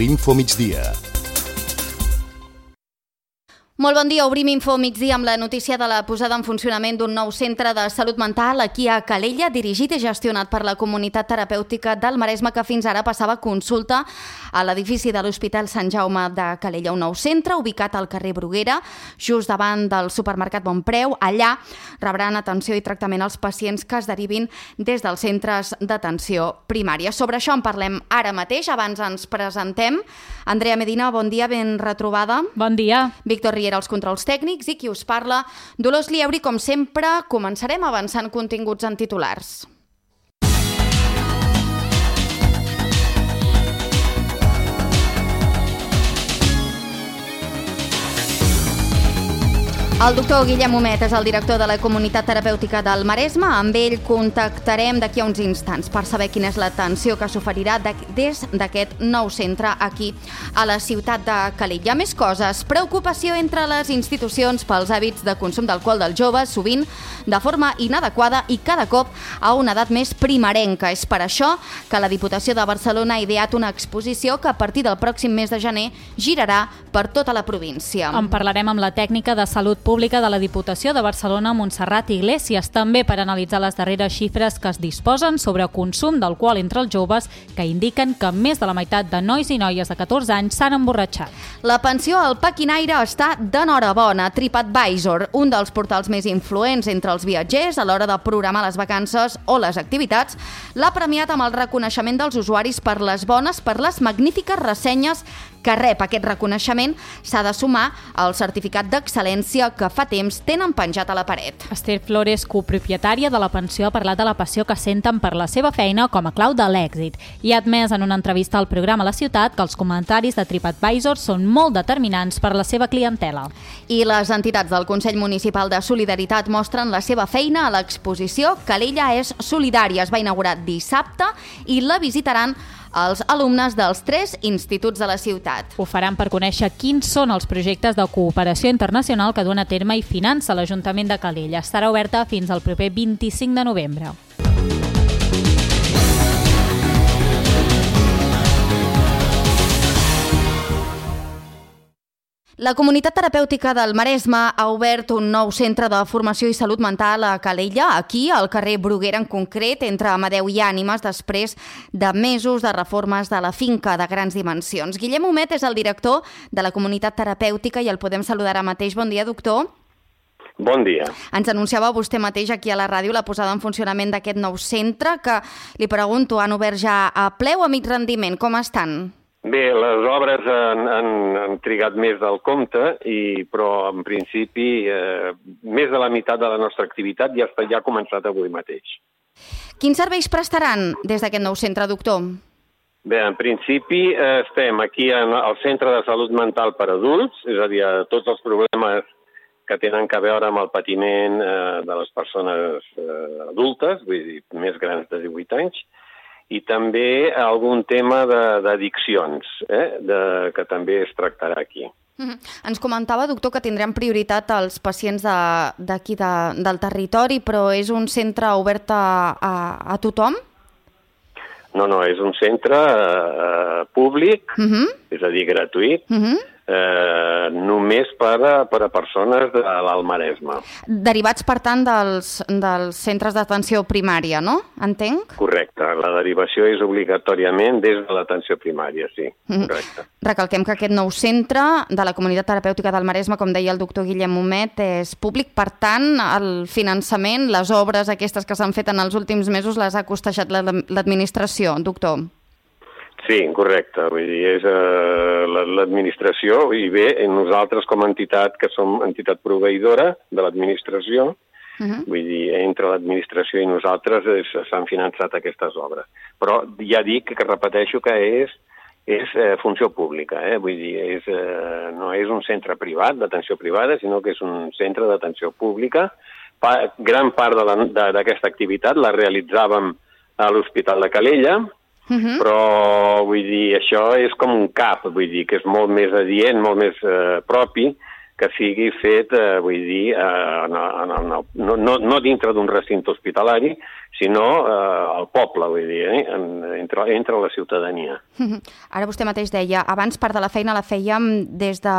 l'Info Migdia. Molt bon dia, obrim Info Migdia amb la notícia de la posada en funcionament d'un nou centre de salut mental aquí a Calella, dirigit i gestionat per la Comunitat Terapèutica del Maresme, que fins ara passava consulta a l'edifici de l'Hospital Sant Jaume de Calella. Un nou centre ubicat al carrer Bruguera, just davant del supermercat Bonpreu. Allà rebran atenció i tractament als pacients que es derivin des dels centres d'atenció primària. Sobre això en parlem ara mateix. Abans ens presentem. Andrea Medina, bon dia, ben retrobada. Bon dia. Víctor Riera, els controls tècnics, i qui us parla, Dolors Lieuri. Com sempre, començarem avançant continguts en titulars. El doctor Guillem Homet és el director de la Comunitat Terapèutica del Maresme. Amb ell contactarem d'aquí a uns instants per saber quina és l'atenció que s'oferirà des d'aquest nou centre aquí a la ciutat de Calella. Més coses. Preocupació entre les institucions pels hàbits de consum d'alcohol dels joves, sovint de forma inadequada i cada cop a una edat més primerenca. És per això que la Diputació de Barcelona ha ideat una exposició que a partir del pròxim mes de gener girarà per tota la província. En parlarem amb la tècnica de salut pública de la Diputació de Barcelona, Montserrat Iglesias, també per analitzar les darreres xifres que es disposen sobre consum d'alcohol entre els joves, que indiquen que més de la meitat de nois i noies de 14 anys s'han emborratxat. La pensió al paquinaire està d'enhorabona. TripAdvisor, un dels portals més influents entre els viatgers a l'hora de programar les vacances o les activitats, l'ha premiat amb el reconeixement dels usuaris per les magnífiques ressenyes que rep. Aquest reconeixement s'ha de sumar al certificat d'excel·lència que fa temps tenen penjat a la paret. Esther Flores, copropietària de la pensió, ha parlat de la passió que senten per la seva feina com a clau de l'èxit i ha admès en una entrevista al programa La Ciutat que els comentaris de TripAdvisor són molt determinants per la seva clientela. I les entitats del Consell Municipal de Solidaritat mostren la seva feina a l'exposició Calella és solidària. Es va inaugurar dissabte i la visitaran els alumnes dels 3 instituts de la ciutat. Ho faran per conèixer quins són els projectes de cooperació internacional que duen a terme i finança l'Ajuntament de Calella. Estarà oberta fins al proper 25 de novembre. La Comunitat Terapèutica del Maresme ha obert un nou centre de formació i salut mental a Calella, aquí, al carrer Bruguera en concret, entre Amadeu i Ànimes, després de mesos de reformes de la finca de grans dimensions. Guillem Homet és el director de la Comunitat Terapèutica i el podem saludar ara mateix. Bon dia, doctor. Bon dia. Ens anunciava vostè mateix aquí a la ràdio la posada en funcionament d'aquest nou centre, que, li pregunto, han obert ja a ple o a mig rendiment? Com estan? Bé, les obres han trigat més del compte, però en principi més de la meitat de la nostra activitat ja ha començat avui mateix. Quins serveis prestaran des d'aquest nou centre, doctor? Bé, en principi estem aquí al Centre de Salut Mental per Adults, és a dir, tots els problemes que tenen a veure amb el patiment de les persones adultes, vull dir, més grans de 18 anys, i també algun tema d'addiccions, que també es tractarà aquí. Ens comentava, doctor, que tindrem prioritat als pacients d'aquí del territori, però és un centre obert a tothom? No, és un centre públic, és a dir, gratuït, només per a persones de l'Alt Maresme. Derivats, per tant, dels centres d'atenció primària, no? Entenc? Correcte. La derivació és obligatòriament des de l'atenció primària, sí. Correcte. Recalquem que aquest nou centre de la Comunitat Terapèutica del Maresme, com deia el doctor Guillem Homet, és públic. Per tant, el finançament, les obres aquestes que s'han fet en els últims mesos, les ha costejat l'administració, doctor? Sí, correcte. Vull dir, és l'administració i bé, nosaltres com a entitat, que som entitat proveïdora de l'administració, vull dir, entre l'administració i nosaltres s'han finançat aquestes obres. Però ja dic que repeteixo que és funció pública, vull dir, no és un centre privat, d'atenció privada, sinó que és un centre d'atenció pública. Gran part d'aquesta activitat la realitzàvem a l'Hospital de Calella, però vull dir, això és com un CAP, vull dir, que és molt més adient, molt més propi que sigui fet, vull dir, no dintre d'un recinte hospitalari, sinó al poble, vull dir, entre la ciutadania. Ara vostè mateix deia, abans part de la feina la fèiem des de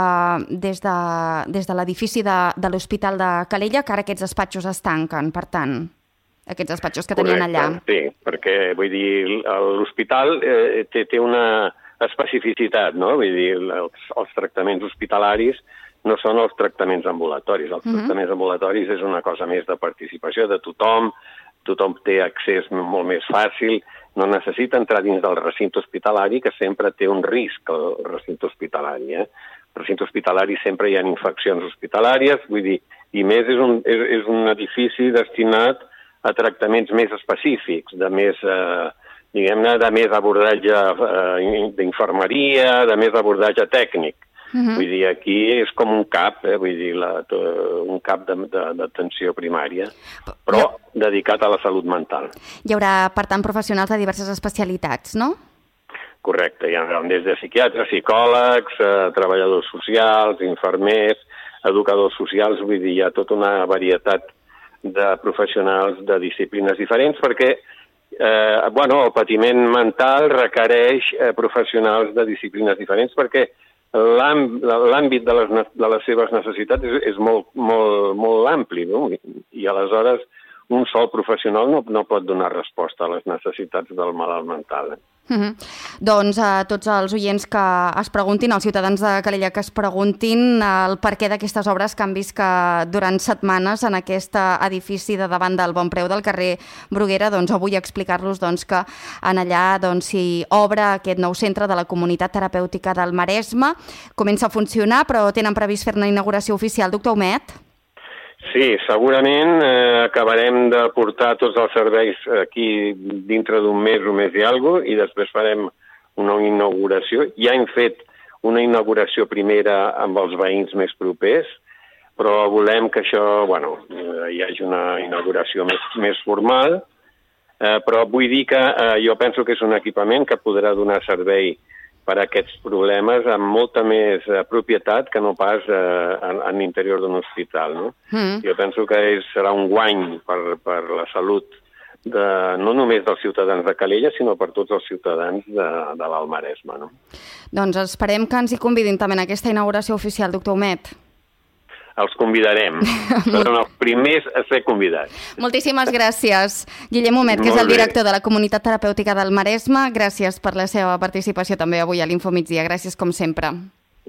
l'edifici de l'Hospital de Calella, que ara aquests despatxos es tanquen, per tant, aquests despatxos que tenien allà. Sí, perquè, vull dir, l'hospital té una especificitat, no? Vull dir, els tractaments hospitalaris no són els tractaments ambulatoris. Els tractaments ambulatoris és una cosa més de participació de tothom té accés molt més fàcil, no necessita entrar dins del recinte hospitalari, que sempre té un risc, el recinte hospitalari. El recinte hospitalari sempre hi ha infeccions hospitalàries, vull dir, i més és un edifici destinat a tractaments més específics, de més, diguem-ne, de més abordatge d'infermeria, de més abordatge tècnic. Vull dir, aquí és com un CAP, vull dir, un CAP d'atenció primària, però dedicat a la salut mental. Hi haurà, per tant, professionals de diverses especialitats, no? Correcte, hi ha des de psiquiatres, psicòlegs, treballadors socials, infermers, educadors socials, vull dir, hi ha tota una varietat de professionals de disciplines diferents, perquè el patiment mental requereix professionals de disciplines diferents, perquè l'àmbit de les seves necessitats és molt ampli, no? I aleshores un sol professional no pot donar resposta a les necessitats del malalt mental. Doncs a tots els oients que es preguntin, als ciutadans de Calella que es preguntin el perquè d'aquestes obres que han vist que durant setmanes en aquest edifici de davant del Bonpreu del carrer Bruguera, doncs avui explicar-los que en allà s'hi obre aquest nou centre de la Comunitat Terapèutica del Maresme. Comença a funcionar, però tenen previst fer una inauguració oficial, doctor Humet? Sí, segurament acabarem de portar tots els serveis aquí dintre d'un mes o més i alguna cosa, i després farem una inauguració. Ja hem fet una inauguració primera amb els veïns més propers, però volem que això, hi hagi una inauguració més formal, però vull dir que jo penso que és un equipament que podrà donar servei per a aquests problemes amb molta més propietat que no pas en l'interior d'un hospital. No? Jo penso que serà un guany per la salut no només dels ciutadans de Calella, sinó per tots els ciutadans de l'Alt Maresme. No? Doncs esperem que ens hi convidin també en aquesta inauguració oficial, doctor Humet. Els convidarem. Seran els primers a ser convidats. Moltíssimes gràcies. Guillem Humet, que és el director de la Comunitat Terapèutica del Maresme. Gràcies per la seva participació també avui a l'Infomigdia. Gràcies com sempre.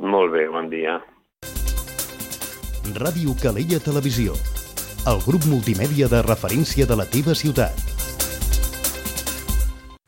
Molt bé, bon dia. Ràdio Calella Televisió, el grup multimèdia de referència de la teva ciutat.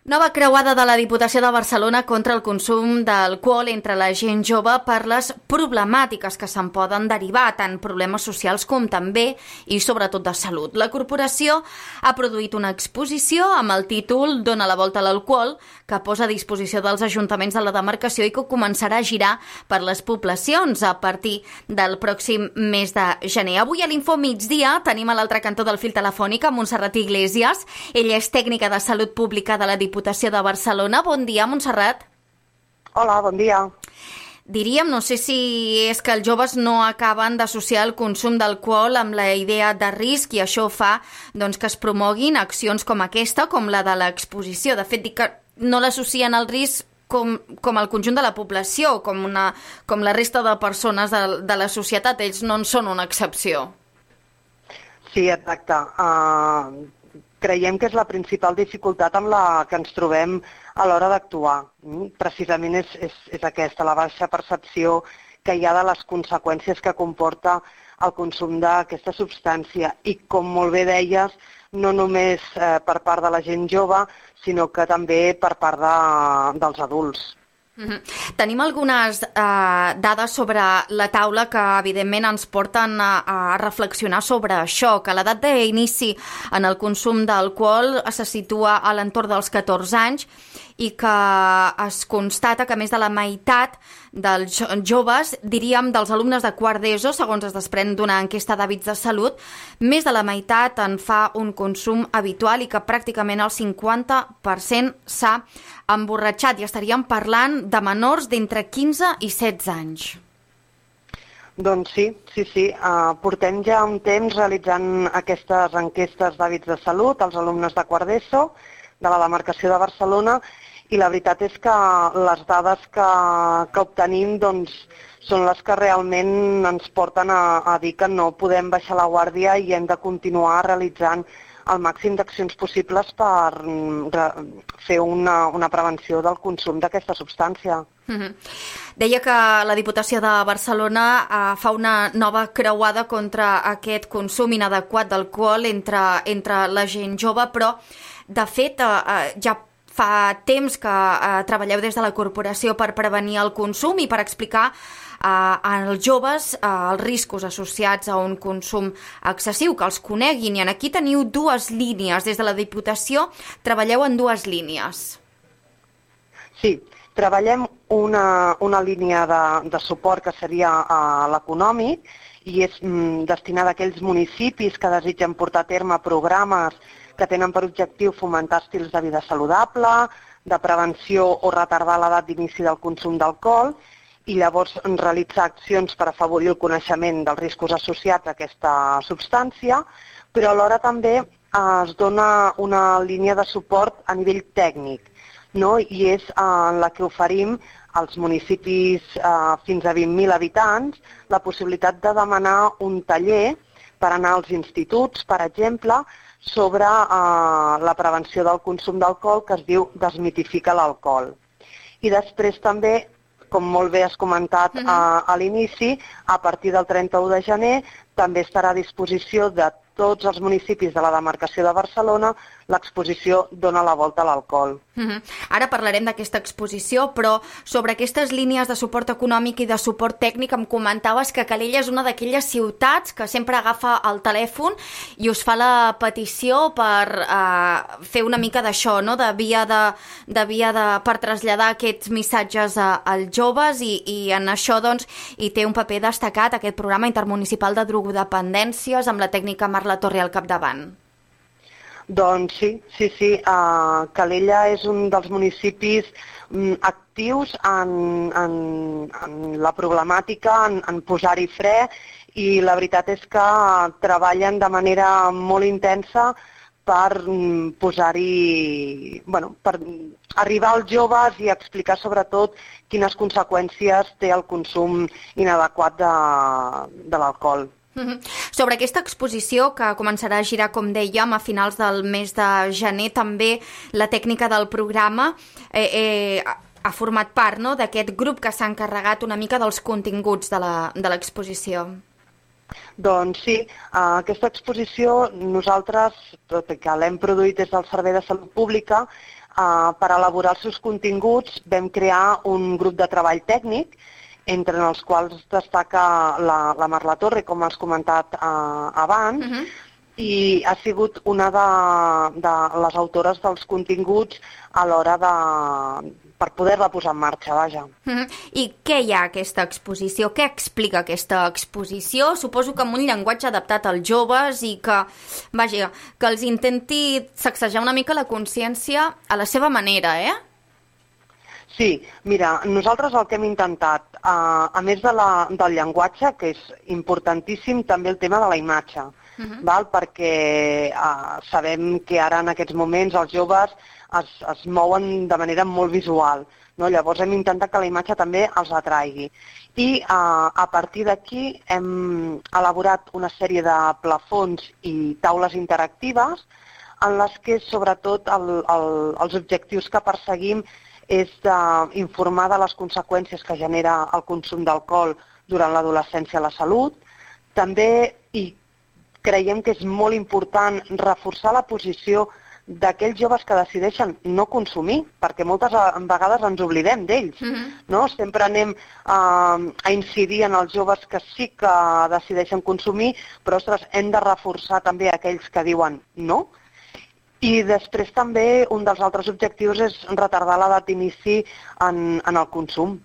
Nova creuada de la Diputació de Barcelona contra el consum d'alcohol entre la gent jove per les problemàtiques que se'n poden derivar, tant problemes socials com també i sobretot de salut. La corporació ha produït una exposició amb el títol Dona la volta a l'alcohol, que posa a disposició dels ajuntaments de la demarcació i que començarà a girar per les poblacions a partir del pròxim mes de gener. Avui a l'Infomigdia tenim a l'altre cantó del fil telefònic a Montserrat Iglesias. Ella és tècnica de salut pública de la Diputació de Barcelona. Bon dia, Montserrat. Hola, bon dia. Diríem, no sé si és que els joves no acaben d'associar el consum d'alcohol amb la idea de risc i això fa que es promoguin accions com aquesta, com la de l'exposició. De fet, dic que no l'associen al risc com el conjunt de la població, com la resta de persones de la societat. Ells no en són una excepció. Sí, exacte. Creiem que és la principal dificultat amb la que ens trobem a l'hora d'actuar. Precisament és aquesta, la baixa percepció que hi ha de les conseqüències que comporta el consum d'aquesta substància. I com molt bé deies, no només per part de la gent jove, sinó que també per part dels adults. Tenim algunes dades sobre la taula que evidentment ens porten a reflexionar sobre això, que l'edat d'inici en el consum d'alcohol se situa a l'entorn dels 14 anys i que es constata que més de la meitat dels joves, diríem dels alumnes de quart d'ESO, segons es desprèn d'una enquesta d'hàbits de salut, més de la meitat en fa un consum habitual i que pràcticament el 50% s'ha emborratxat, i estaríem parlant de menors d'entre 15 i 16 anys. Doncs sí. Portem ja un temps realitzant aquestes enquestes d'hàbits de salut als alumnes de quart d'ESO de la demarcació de Barcelona i la veritat és que les dades que obtenim doncs, són les que realment ens porten a dir que no podem baixar la guàrdia i hem de continuar realitzant el màxim d'accions possibles per fer una prevenció del consum d'aquesta substància. Deia que la Diputació de Barcelona fa una nova creuada contra aquest consum inadequat d'alcohol entre la gent jove, però de fet ja fa temps que treballeu des de la corporació per prevenir el consum i per explicar als joves els riscos associats a un consum excessiu, que els coneguin. I aquí teniu dues línies. Des de la Diputació treballeu en dues línies. Sí, treballem una línia de suport que seria l'econòmic i és destinada a aquells municipis que desitgen portar a terme programes que tenen per objectiu fomentar estils de vida saludable, de prevenció o retardar l'edat d'inici del consum d'alcohol i llavors realitzar accions per afavorir el coneixement dels riscos associats a aquesta substància, però alhora també es dona una línia de suport a nivell tècnic, no? I és en la que oferim als municipis fins a 20.000 habitants la possibilitat de demanar un taller per anar als instituts, per exemple, sobre la prevenció del consum d'alcohol que es diu Desmitifica l'alcohol. I després també, com molt bé has comentat a l'inici, a partir del 31 de gener també estarà a disposició de tots els municipis de la demarcació de Barcelona l'exposició Dona la volta a l'alcohol. Ara parlarem d'aquesta exposició, però sobre aquestes línies de suport econòmic i de suport tècnic em comentaves que Calella és una d'aquelles ciutats que sempre agafa el telèfon i us fa la petició per fer una mica d'això, no? de via per traslladar aquests missatges als joves i en això doncs hi té un paper destacat aquest programa intermunicipal de drogodependències amb la tècnica Marla Torre al capdavant. Doncs sí. Calella és un dels municipis actius en la problemàtica, en posar-hi fre, i la veritat és que treballen de manera molt intensa per posar-hi, per arribar als joves i explicar sobretot quines conseqüències té el consum inadequat de l'alcohol. Sobre aquesta exposició que començarà a girar, com dèiem, a finals del mes de gener, també la tècnica del programa ha format part, no?, d'aquest grup que s'ha encarregat una mica dels continguts de l'exposició. Doncs sí, aquesta exposició nosaltres, tot i que l'hem produït des del Servei de Salut Pública, per elaborar els seus continguts vam crear un grup de treball tècnic entre els quals destaca la Marla Torre, com has comentat abans, i ha sigut una de les autores dels continguts a l'hora per poder-la posar en marxa, vaja. I què hi ha a aquesta exposició? Què explica aquesta exposició? Suposo que amb un llenguatge adaptat als joves i que els intenti sacsejar una mica la consciència a la seva manera, Sí, mira, nosaltres el que hem intentat, a més del llenguatge, que és importantíssim, també el tema de la imatge, perquè sabem que ara en aquests moments els joves es mouen de manera molt visual, no? Llavors hem intentat que la imatge també els atraigui. I a partir d'aquí hem elaborat una sèrie de plafons i taules interactives en les que sobretot els objectius que perseguim és d'informar de les conseqüències que genera el consum d'alcohol durant l'adolescència a la salut. També creiem que és molt important reforçar la posició d'aquells joves que decideixen no consumir, perquè moltes vegades ens oblidem d'ells. No? Sempre anem a incidir en els joves que sí que decideixen consumir, però ostres, hem de reforçar també aquells que diuen no. I després també un dels altres objectius és retardar l'edat d'inici en el consum.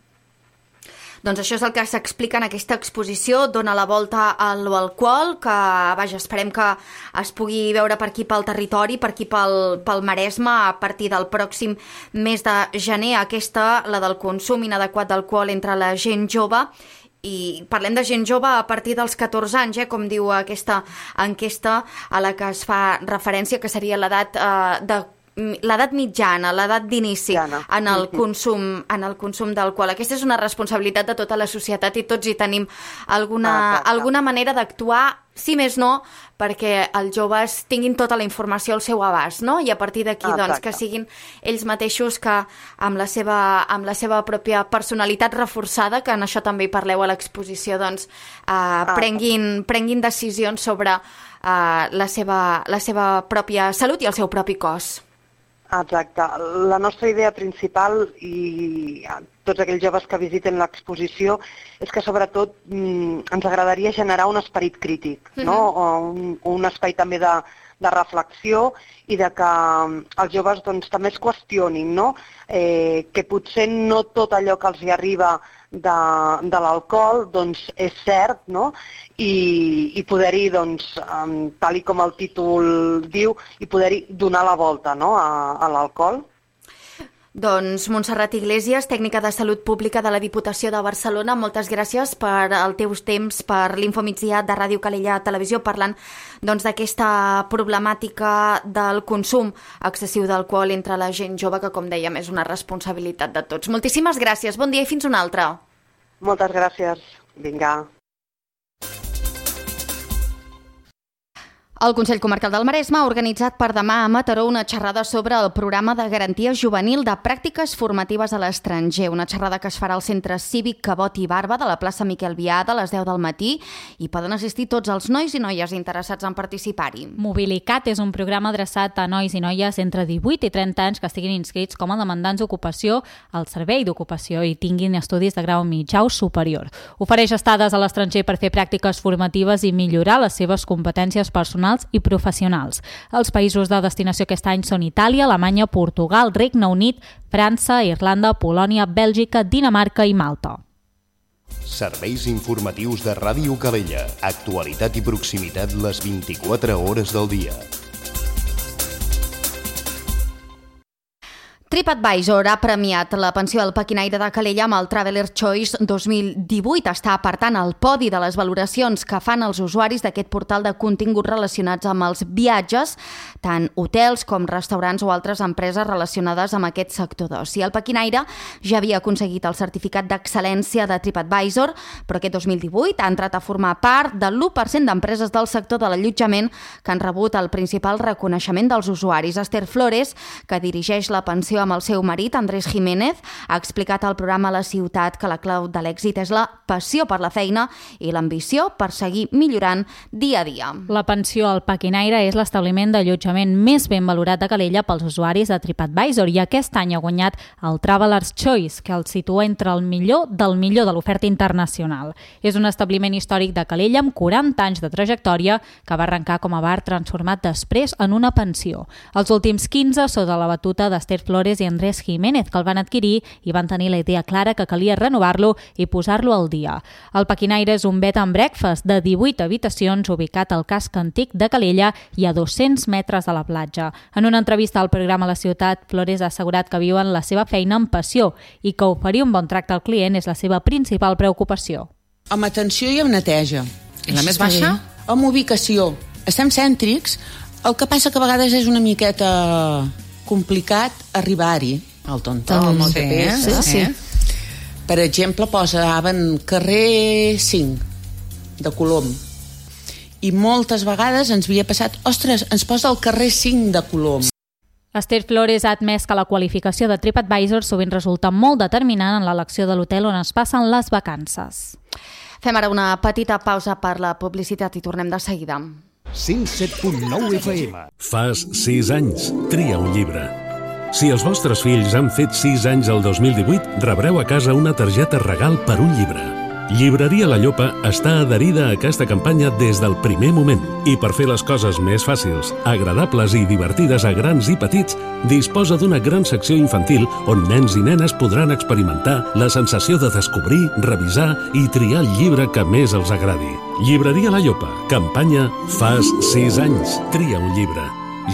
Doncs això és el que s'explica en aquesta exposició, Dona la volta a l'alcohol, que esperem que es pugui veure per aquí pel territori, per aquí pel Maresme, a partir del pròxim mes de gener, aquesta, la del consum inadequat d'alcohol entre la gent jove. i parlem de gent jove a partir dels 14 anys, com diu aquesta enquesta a la que es fa referència, que seria l'edat mitjana, l'edat d'inici en el consum d'alcohol. Aquesta és una responsabilitat de tota la societat i tots hi tenim alguna manera d'actuar, si més no, perquè els joves tinguin tota la informació al seu abast, no? I a partir d'aquí, doncs, que siguin ells mateixos que amb la seva pròpia personalitat reforçada, que en això també hi parleu a l'exposició, doncs, prenguin decisions sobre la seva pròpia salut i el seu propi cos. Exacte. La nostra idea principal, i tots aquells joves que visiten l'exposició, és que sobretot ens agradaria generar un esperit crític, no? Un espai també de reflexió i de que els joves doncs, també es qüestionin, no? Que potser no tot allò que els hi arriba de l'alcohol doncs, és cert, no? I poder-hi, doncs, tal com el títol diu, i poder-hi donar la volta, no? a l'alcohol. Doncs Montserrat Iglesias, tècnica de Salut Pública de la Diputació de Barcelona, moltes gràcies per el teu temps, per l'Infomigdia de Ràdio Calella Televisió, parlant d'aquesta problemàtica del consum excessiu d'alcohol entre la gent jove, que, com dèiem, és una responsabilitat de tots. Moltíssimes gràcies, bon dia i fins una altra. Moltes gràcies. Vinga. El Consell Comarcal del Maresme ha organitzat per demà a Mataró una xerrada sobre el programa de garantia juvenil de pràctiques formatives a l'estranger. Una xerrada que es farà al Centre Cívic Cabot i Barba de la plaça Miquel Biada a les 10 del matí i poden assistir tots els nois i noies interessats en participar-hi. Mobilicat és un programa adreçat a nois i noies entre 18 i 30 anys que estiguin inscrits com a demandants d'ocupació al Servei d'Ocupació i tinguin estudis de grau mitjà o superior. Ofereix estades a l'estranger per fer pràctiques formatives i millorar les seves competències personals i professionals. Els països de destinació aquest any són Itàlia, Alemanya, Portugal, Regne Unit, França, Irlanda, Polònia, Bèlgica, Dinamarca i Malta. Serveis informatius de Ràdio Calella. Actualitat i proximitat les 24 hores del dia. TripAdvisor ha premiat la pensió al Pequinaire de Calella amb el Traveler Choice 2018. Està, per tant, al podi de les valoracions que fan els usuaris d'aquest portal de continguts relacionats amb els viatges, tant hotels com restaurants o altres empreses relacionades amb aquest sector d'oci. El Pequinaire ja havia aconseguit el certificat d'excel·lència de TripAdvisor, però aquest 2018 ha entrat a formar part de l'1% d'empreses del sector de l'allotjament que han rebut el principal reconeixement dels usuaris. Esther Flores, que dirigeix la pensió amb el seu marit, Andrés Jiménez, ha explicat al programa La Ciutat que la clau de l'èxit és la passió per la feina i l'ambició per seguir millorant dia a dia. La pensió al Pequinaire és l'establiment d'allotjament més ben valorat de Calella pels usuaris de TripAdvisor i aquest any ha guanyat el Traveler's Choice, que el situa entre el millor de l'oferta internacional. És un establiment històric de Calella amb 40 anys de trajectòria que va arrencar com a bar transformat després en una pensió. Els últims 15 sota la batuta d'Esther Flores i Andrés Jiménez, que el van adquirir i van tenir la idea clara que calia renovar-lo i posar-lo al dia. El Pequinaire és un bed and breakfast de 18 habitacions ubicat al casc antic de Calella i a 200 metres de la platja. En una entrevista al programa La Ciutat, Flores ha assegurat que viuen la seva feina amb passió i que oferir un bon tracte al client és la seva principal preocupació. Amb atenció i amb neteja. I la més baixa? Amb ubicació. Estem cèntrics, el que passa que a vegades és una miqueta complicat arribar-hi. El TomTom, el GPS. Sí. Per exemple, posaven carrer 5 de Colom. I moltes vegades ens havia passat, ostres, ens posa el carrer 5 de Colom. Esther Flores ha admès que la qualificació de TripAdvisor sovint resulta molt determinant en l'elecció de l'hotel on es passen les vacances. Fem ara una petita pausa per la publicitat i tornem de seguida. 107.9 FM. Fas 6 anys. Tria un llibre. Si els vostres fills han fet 6 anys el 2018, rebreu a casa una targeta regal per un llibre. Llibreria La Llopa està adherida a aquesta campanya des del primer moment i per fer les coses més fàcils, agradables i divertides a grans i petits, disposa d'una gran secció infantil on nens i nenes podran experimentar la sensació de descobrir, revisar i triar el llibre que més els agradi. Llibreria La Llopa, campanya Fas 6 anys, tria un llibre.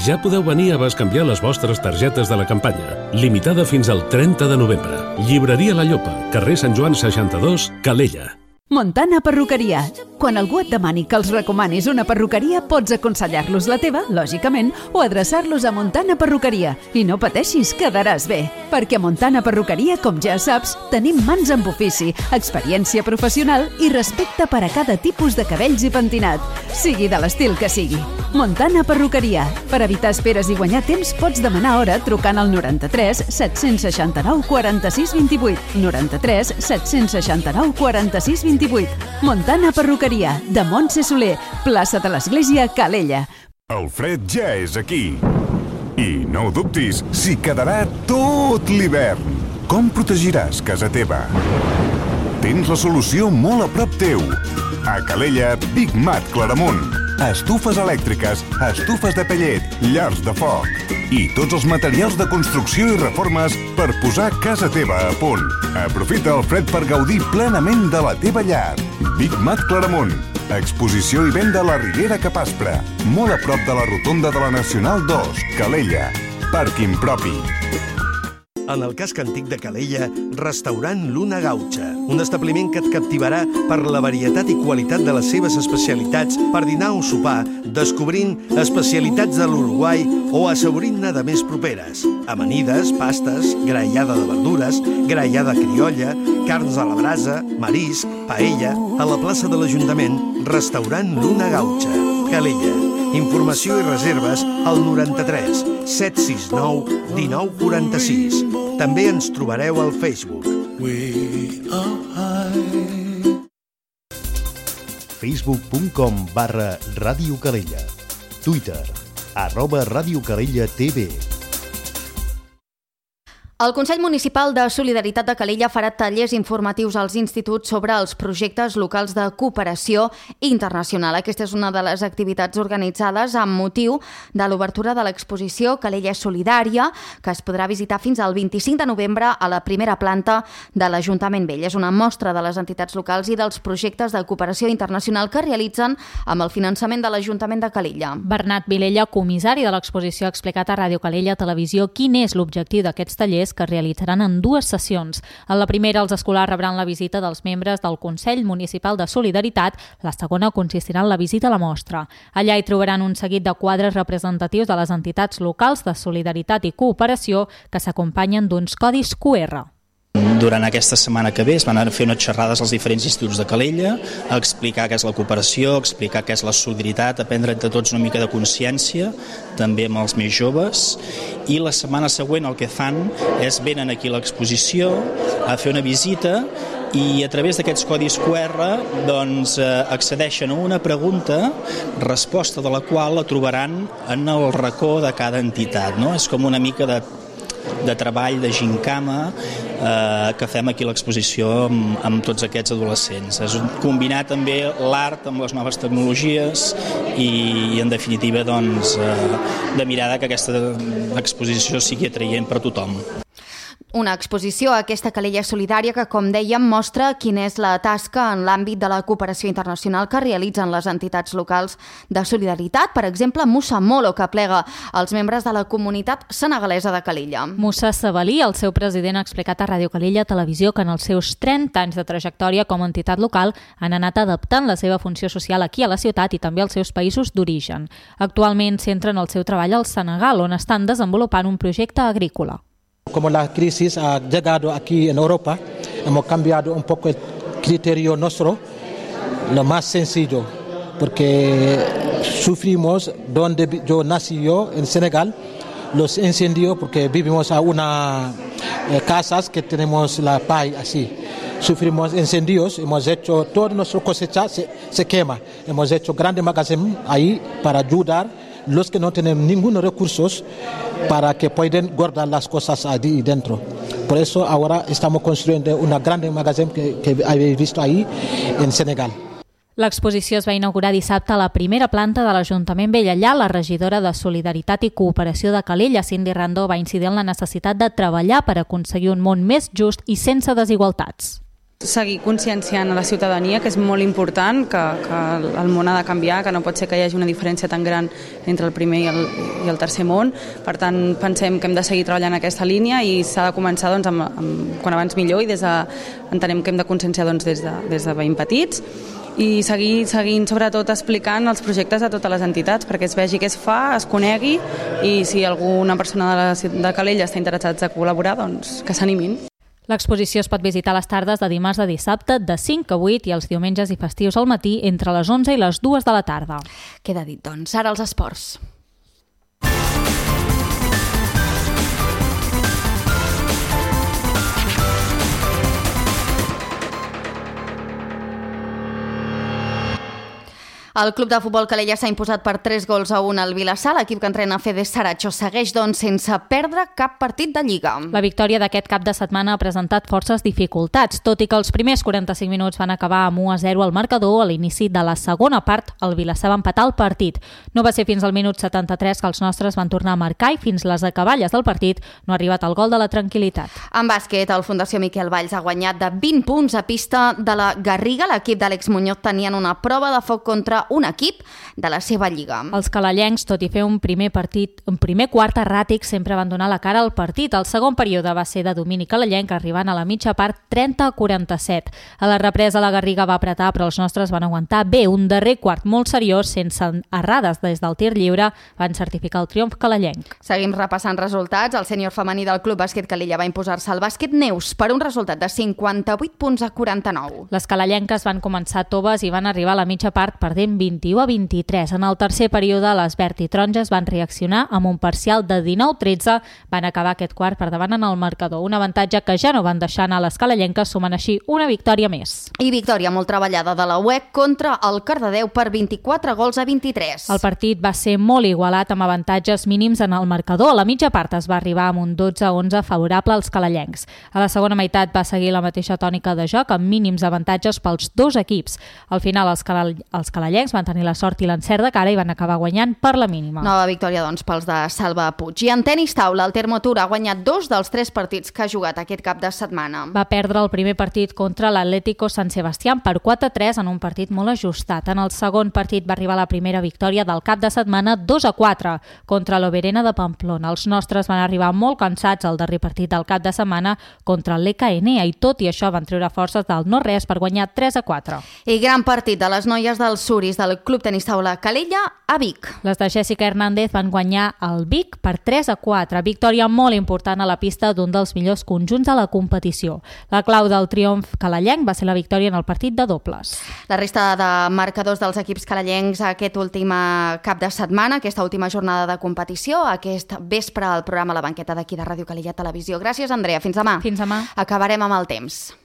Ja podeu venir a bescanviar les vostres targetes de la campanya, limitada fins al 30 de novembre. Llibreria La Llopa, carrer Sant Joan 62, Calella. Montana Perruqueria. Quan algú et demani que els recomanis una perruqueria, pots aconsellar-los la teva, lògicament, o adreçar-los a Montana Perruqueria. I no pateixis, quedaràs bé. Perquè a Montana Perruqueria, com ja saps, tenim mans amb ofici, experiència professional i respecte per a cada tipus de cabells i pentinat, sigui de l'estil que sigui. Montana Perruqueria. Per evitar esperes i guanyar temps, pots demanar hora trucant al 93 769 46 28. 93 769 46 28. Montana Perruqueria, de Montse Soler, plaça de l'Església, Calella. El fred ja és aquí. I no ho dubtis, s'hi quedarà tot l'hivern. Com protegiràs casa teva? Tens la solució molt a prop teu. A Calella, Big Mat Claramunt. Estufes elèctriques, estufes de pellet, llars de foc i tots els materials de construcció i reformes per posar casa teva a punt. Aprofita el fred per gaudir plenament de la teva llar. Big Mat Claramunt. Exposició i venda a la Riera Capaspra, molt a prop de la rotonda de la Nacional 2, Calella. Pàrquing propi. En el casc antic de Calella, restaurant Luna Gaucha, un establiment que et captivarà per la varietat i qualitat de les seves especialitats per dinar o sopar, descobrint especialitats de l'Uruguai o assaborint-ne de més properes. Amanides, pastes, graellada de verdures, graellada criolla, carns a la brasa, marisc, paella, a la plaça de l'Ajuntament, restaurant Luna Gaucha, Calella. Informació i reserves al 93 769 1946. També ens trobareu al Facebook. Facebook.com/Ràdio Calella. Twitter @Ràdio Calella TV. El Consell Municipal de Solidaritat de Calella farà tallers informatius als instituts sobre els projectes locals de cooperació internacional. Aquesta és una de les activitats organitzades amb motiu de l'obertura de l'exposició Calella Solidària, que es podrà visitar fins al 25 de novembre a la primera planta de l'Ajuntament Vell. És una mostra de les entitats locals i dels projectes de cooperació internacional que realitzen amb el finançament de l'Ajuntament de Calella. Bernat Vilella, comissari de l'exposició, ha explicat a Ràdio Calella Televisió quin és l'objectiu d'aquests tallers que es realitzaran en 2 sessions. En la primera, els escolars rebran la visita dels membres del Consell Municipal de Solidaritat. La segona consistirà en la visita a la mostra. Allà hi trobaran un seguit de quadres representatius de les entitats locals de solidaritat i cooperació que s'acompanyen d'uns codis QR. Durant aquesta setmana que ve es van fer unes xerrades als diferents instituts de Calella, a explicar què és la cooperació, a explicar què és la solidaritat, a prendre entre tots una mica de consciència, també amb els més joves, i la setmana següent el que fan és venen aquí a l'exposició a fer una visita i a través d'aquests codis QR doncs, accedeixen a una pregunta, resposta de la qual la trobaran en el racó de cada entitat, no? És com una mica de treball, de gincama que fem aquí a l'exposició amb tots aquests adolescents. És combinar també l'art amb les noves tecnologies i en definitiva doncs, de mirar que aquesta exposició sigui atraient per a tothom. Una exposició, aquesta Calella Solidària, que, com dèiem, mostra quina és la tasca en l'àmbit de la cooperació internacional que realitzen les entitats locals de solidaritat. Per exemple, Musa Molo, que plega els membres de la comunitat senegalesa de Calella. Musa Sabalí, el seu president, ha explicat a Ràdio Calella Televisió que en els seus 30 anys de trajectòria com a entitat local han anat adaptant la seva funció social aquí a la ciutat i també als seus països d'origen. Actualment centren el seu treball al Senegal, on estan desenvolupant un projecte agrícola. Como la crisis ha llegado aquí en Europa, hemos cambiado un poco el criterio nuestro, lo más sencillo, porque sufrimos donde yo nací en Senegal, los incendios, porque vivimos a unas casas que tenemos la paja así. Sufrimos incendios, hemos hecho toda nuestra cosecha se quema, hemos hecho grandes magazones ahí para ayudar los que no tienen ningún recursos para que puedan guardar las cosas ahí dentro. Por eso ahora estamos construyendo una gran magazine que habéis visto ahí en Senegal. L'exposició es va inaugurar dissabte a la primera planta de l'Ajuntament Vell. Allà, la regidora de Solidaritat i Cooperació de Calella, Cindy Randó, va incidir en la necessitat de treballar per aconseguir un món més just i sense desigualtats. Seguir conscienciant a la ciutadania, que és molt important, que el món ha de canviar, que no pot ser que hi hagi una diferència tan gran entre el primer i el tercer món. Per tant, pensem que hem de seguir treballant en aquesta línia i s'ha de començar quan abans millor, i entenem que hem de conscienciar des de ben petits i seguint sobretot explicant els projectes a totes les entitats perquè es vegi què es fa, es conegui, i si alguna persona de Calella està interessat a col·laborar, doncs que s'animin. L'exposició es pot visitar a les tardes de dimarts a dissabte de 5 a 8 i els diumenges i festius al matí entre les 11 i les 2 de la tarda. Queda dit, doncs. Ara els esports. El club de futbol Calella s'ha imposat per 3-1 al Vilassar. L'equip que entrena Fede Saracho segueix, doncs, sense perdre cap partit de Lliga. La victòria d'aquest cap de setmana ha presentat forces dificultats, tot i que els primers 45 minuts van acabar amb 1-0 al marcador. A l'inici de la segona part, el Vilassar va empatar el partit. No va ser fins al minut 73 que els nostres van tornar a marcar i fins les acaballes del partit no ha arribat el gol de la tranquil·litat. En bàsquet, el Fundació Miquel Valls ha guanyat de 20 punts a pista de la Garriga. L'equip d'Àlex Muñoz tenien una prova de foc contra un equip de la seva lliga. Els calellencs, tot i fer un primer quart erràtic, sempre van donar la cara al partit. El segon període va ser de domini calellenc, arribant a la mitja part 30-47. A la represa la Garriga va apretar, però els nostres van aguantar bé. Un darrer quart molt seriós, sense errades des del tir lliure, van certificar el triomf calellenc. Seguim repassant resultats. El sènior femení del Club Bàsquet Calella va imposar-se al Bàsquet Neus per un resultat de 58 punts a 49. Les calellenques van començar toves i van arribar a la mitja part perdent 21-23. En el tercer període, les verd i taronges van reaccionar amb un parcial de 19-13. Van acabar aquest quart per davant en el marcador. Un avantatge que ja no van deixar anar les calellenques, sumant així una victòria més. I victòria molt treballada de la UEC contra el Cardedeu per 24-23. El partit va ser molt igualat amb avantatges mínims en el marcador. A la mitja part es va arribar amb un 12-11 favorable als calellencs. A la segona meitat va seguir la mateixa tònica de joc amb mínims avantatges pels dos equips. Al final els calellencs van tenir la sort i l'encert de cara i van acabar guanyant per la mínima. Nova victòria, doncs, pels de Salva Puig. I en tenis taula, el Termo Tour ha guanyat 2 dels 3 partits que ha jugat aquest cap de setmana. Va perdre el primer partit contra l'Atlético San Sebastián per 4-3 en un partit molt ajustat. En el segon partit va arribar la primera victòria del cap de setmana 2-4 contra l'Oberena de Pamplona. Els nostres van arribar molt cansats al darrer partit del cap de setmana contra l'EKN i tot i això van treure forces del no-res per guanyar 3-4. I gran partit de les noies del Suris del Club Tenis Taula Calella a Vic. Les de Jessica Hernández van guanyar el Vic per 3-4. Victòria molt important a la pista d'un dels millors conjunts de la competició. La clau del triomf calellenc va ser la victòria en el partit de dobles. La resta de marcadors dels equips calellencs aquest últim cap de setmana, aquesta última jornada de competició, aquest vespre al programa La Banqueta d'aquí de Ràdio Calella Televisió. Gràcies, Andrea. Fins demà. Fins demà. Acabarem amb el temps.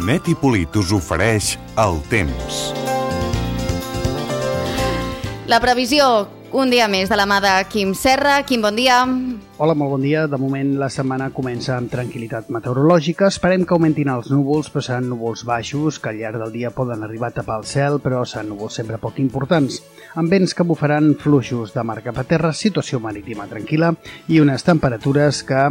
Net i Polit us ofereix el temps. La previsió, un dia més de la mà de Quim Serra. Quim, bon dia. Hola, molt bon dia. De moment la setmana comença amb tranquil·litat meteorològica. Esperem que augmentin els núvols, però seran núvols baixos, que al llarg del dia poden arribar a tapar el cel, però seran núvols sempre poc importants. Amb vents que bufaran fluixos de mar cap a terra, situació marítima tranquil·la i unes temperatures que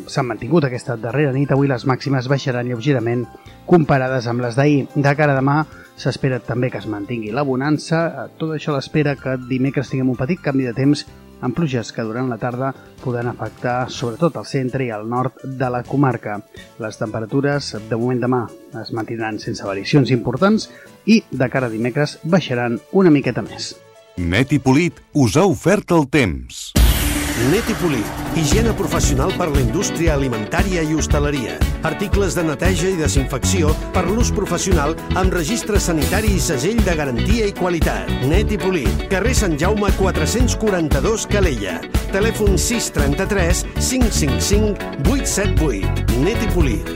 s'han mantingut aquesta darrera nit. Avui les màximes baixaran lleugerament comparades amb les d'ahir. De cara a demà s'espera també que es mantingui la bonança. Tot això l'espera que dimecres tinguem un petit canvi de temps amb pluges que durant la tarda podran afectar sobretot al centre i al nord de la comarca. Les temperatures de moment demà es mantindran sense variacions importants i de cara a dimecres baixaran una miqueta més. Net i Polit us ha ofert el temps. Net i Polit, higiene professional per la indústria alimentària i hostaleria. Articles de neteja i desinfecció per l'ús professional amb registre sanitari i segell de garantia i qualitat. Net i Polit, carrer Sant Jaume 442 Calella. Telèfon 633 555 878. Net i Polit.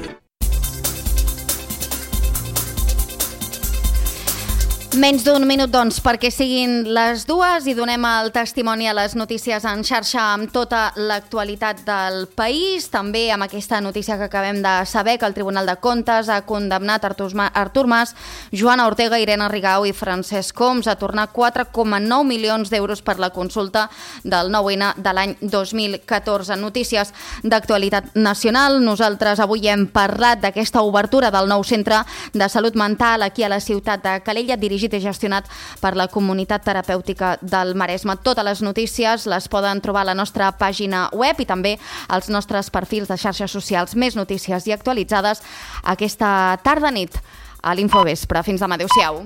Menys d'un minut, doncs, perquè siguin les 2 i donem el testimoni a les notícies en xarxa amb tota l'actualitat del país. També amb aquesta notícia que acabem de saber, que el Tribunal de Comptes ha condemnat Artur Mas, Joana Ortega, Irene Rigau i Francesc Homs a tornar 4,9 milions d'euros per la consulta del 9-N de l'any 2014. Notícies d'actualitat nacional. Nosaltres avui hem parlat d'aquesta obertura del nou centre de salut mental aquí a la ciutat de Calella, dirigit i gestionat per la Comunitat Terapèutica del Maresme. Totes les notícies les poden trobar a la nostra pàgina web i també als nostres perfils de xarxes socials. Més notícies i actualitzades aquesta tarda-nit a l'Infovespre. Fins demà. Adéu-siau.